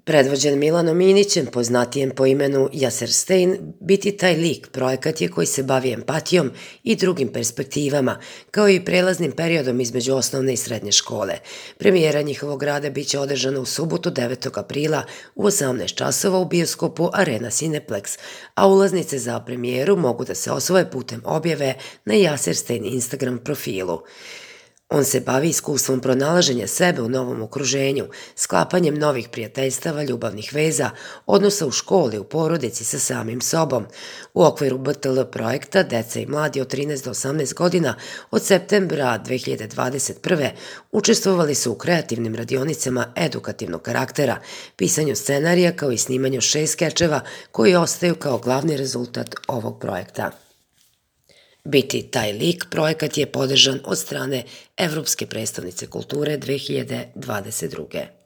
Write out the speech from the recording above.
Predvođen Milanom Inićem, poznatijem po imenu Yaser Stein, biti taj lik projekat je koji se bavi empatijom i drugim perspektivama, kao i prelaznim periodom između osnovne i srednje škole. Premijera njihovog rada biće održana u subotu 9. aprila u 18 časova u bioskopu Arena Cineplex, a ulaznice za premijeru mogu da se osvoje putem objave na Yaser Stein Instagram profilu. On se bavi iskustvom pronalaženja sebe u novom okruženju, sklapanjem novih prijateljstava, ljubavnih veza, odnosa u školi, u porodici sa samim sobom. U okviru BTL projekta deca i mladi od 13 do 18 godina od septembra 2021. učestvovali su u kreativnim radionicama edukativnog karaktera, pisanju scenarija kao i snimanju 6 skečeva koji ostaju kao glavni rezultat ovog projekta. Biti taj lik projekat je podržan od strane Evropske prestonice kulture 2022.